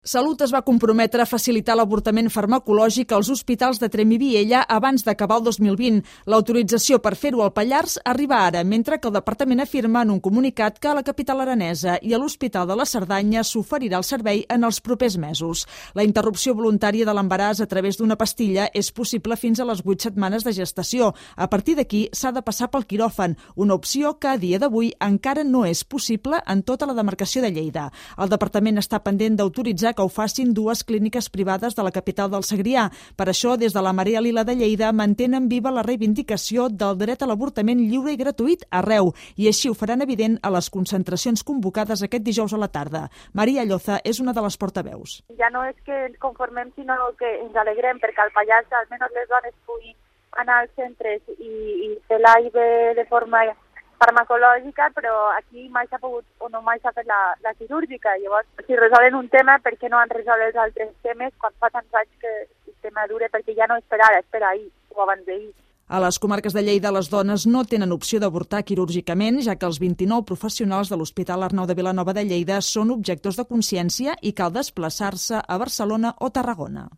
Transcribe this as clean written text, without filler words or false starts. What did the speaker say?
Salut es va comprometre a facilitar l'avortament farmacològic als hospitals de Tremp i Viella abans d'acabar el 2020. L'autorització per fer-ho al Pallars arriba ara, mentre que el departament afirma en un comunicat que a la capital aranesa i a l'Hospital de la Cerdanya s'oferirà el servei en els propers mesos. La interrupció voluntària de l'embaràs a través d'una pastilla és possible fins a les 8 setmanes de gestació. A partir d'aquí s'ha de passar pel quiròfan, una opció que a dia d'avui encara no és possible en tota la demarcació de Lleida. El departament està pendent d'autoritzar que ho facin dues clíniques privades de la capital del Segrià. Per això, des de la Marea Lila de Lleida mantenen viva la reivindicació del dret a l'avortament lliure i gratuït arreu, i així ho faran evident a les concentracions convocades aquest dijous a la tarda. Maria Lloza és una de les portaveus. Ja no és que ens conformem, sinó que ens alegrem perquè al Pallars almenys les dones puguin anar als centres i fer l'AIV de forma farmacològica, però aquí mai s'ha pogut o no mai s'ha fet la quirúrgica. Llavors, si resolen un tema, per què no han resolt els altres temes quan fa tants anys que el tema dure? Perquè ja no és per ara, és per ahir o abans d'ahir. A les comarques de Lleida, les dones no tenen opció d'avortar quirúrgicament, ja que els 29 professionals de l'Hospital Arnau de Vilanova de Lleida són objectors de consciència i cal desplaçar-se a Barcelona o Tarragona.